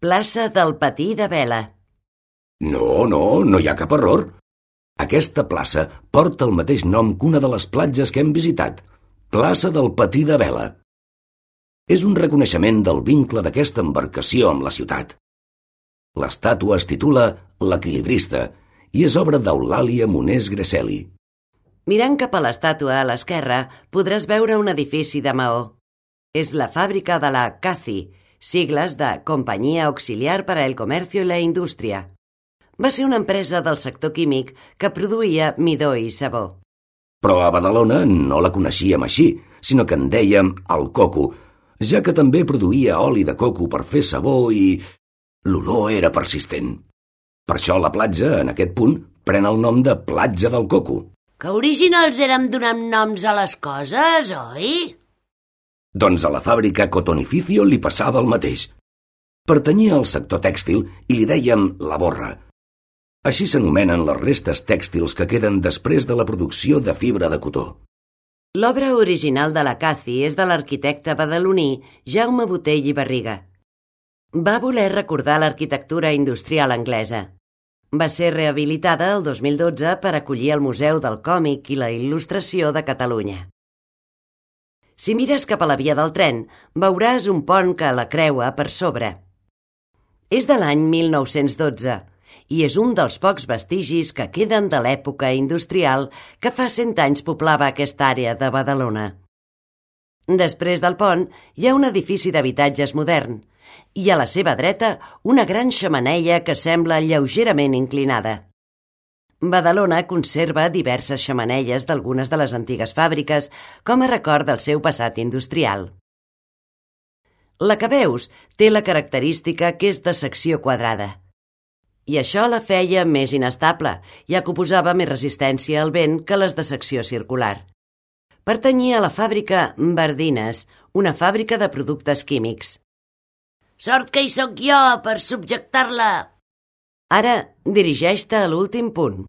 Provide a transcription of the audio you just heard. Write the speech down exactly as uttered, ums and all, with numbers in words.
Plaça del Patí de Vela. No, no, no hi ha cap error. Aquesta plaça porta el mateix nom que una de les platges que hem visitat, Plaça del Patí de Vela. És un reconeixement del vincle d'aquesta embarcació amb la ciutat. L'estàtua es titula L'Equilibrista i és obra d'Eulàlia Monés Greseli. Mirant cap a l'estàtua a l'esquerra, podràs veure un edifici de maó. És la fàbrica de la C A C I, sigles de Compañía Auxiliar para el Comercio y la Industria. Va ser una empresa del sector químic que produïa midó i sabó. Però a Badalona no la coneixíem així, sinó que en dèiem el coco, ja que també produïa oli de coco per fer sabó i l'olor era persistent. Per això la platja, en aquest punt, pren el nom de Platja del Coco. Que originals érem donant noms a les coses, oi? Doncs a la fàbrica Cotonificio li passava el mateix. Pertanyia al sector tèxtil i li dèiem la borra. Així s'anomenen les restes tèxtils que queden després de la producció de fibra de cotó. L'obra original de la C A C I és de l'arquitecte badaloní Jaume Botell i Barriga. Va voler recordar l'arquitectura industrial anglesa. Va ser rehabilitada el dos mil dotze per acollir el Museu del Còmic i la Il·lustració de Catalunya. Si mires cap a la via del tren, veuràs un pont que la creua per sobre. És de l'any mil nou-cents dotze i és un dels pocs vestigis que queden de l'època industrial que fa cent anys poblava aquesta àrea de Badalona. Després del pont hi ha un edifici d'habitatges modern i a la seva dreta una gran xemeneia que sembla lleugerament inclinada. Badalona conserva diverses xemeneies d'algunes de les antigues fàbriques com a record del seu passat industrial. La que veus té la característica que és de secció quadrada. I això la feia més inestable, ja que oposava més resistència al vent que les de secció circular. Pertanyia a la fàbrica Bardines, una fàbrica de productes químics. Sort que hi sóc jo per subjectar-la. Ara dirigeix-te a l'últim punt.